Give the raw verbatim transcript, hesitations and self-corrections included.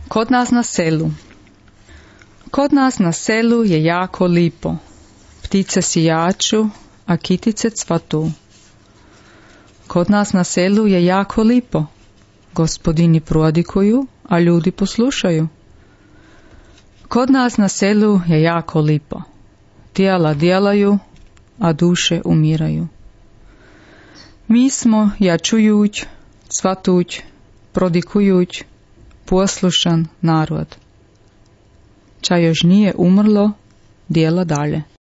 Kod nas na selu. Kod nas na selu je jako lipo. Ptice sijaču, a kitice cvatu. Kod nas na selu je jako lipo. Gospodini prodikuju, a ljudi poslušaju. Kod nas na selu je jako lipo. Tijela djelaju, a duše umiraju. Mi smo jačujuć, cvatuć, prodikujuć, poslušan narod. Ča još nije umrlo, djela dalje.